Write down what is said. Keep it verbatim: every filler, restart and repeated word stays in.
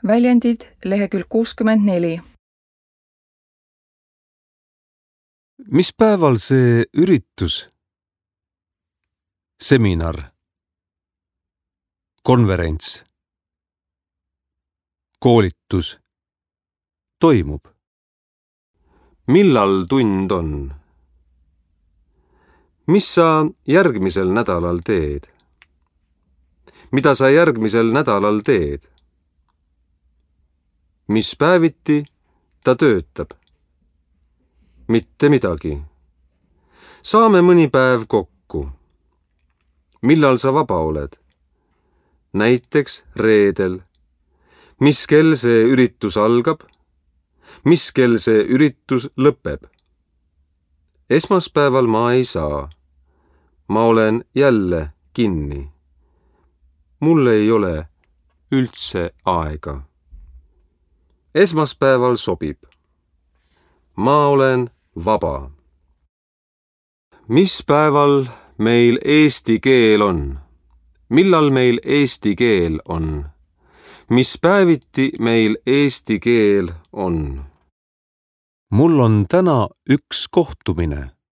Väljendid lehekülg kuuskümmend neli. Mis päeval see üritus, seminar, konverents, koolitus toimub? Millal tund on? Mis sa järgmisel nädalal teed? Mida sa järgmisel nädalal teed? Mis päeviti ta töötab? Mitte midagi. Saame mõni päev kokku. Millal sa vaba oled? Näiteks reedel. Mis kell see üritus algab? Mis kell see üritus lõpeb? Esmaspäeval ma ei saa. Ma olen jälle kinni. Mul ei ole üldse aega. Esmaspäeval sobib. Ma olen vaba. Mis päeval meil eesti keel on? Millal meil eesti keel on? Mis päeviti meil eesti keel on? Mul on täna üks kohtumine.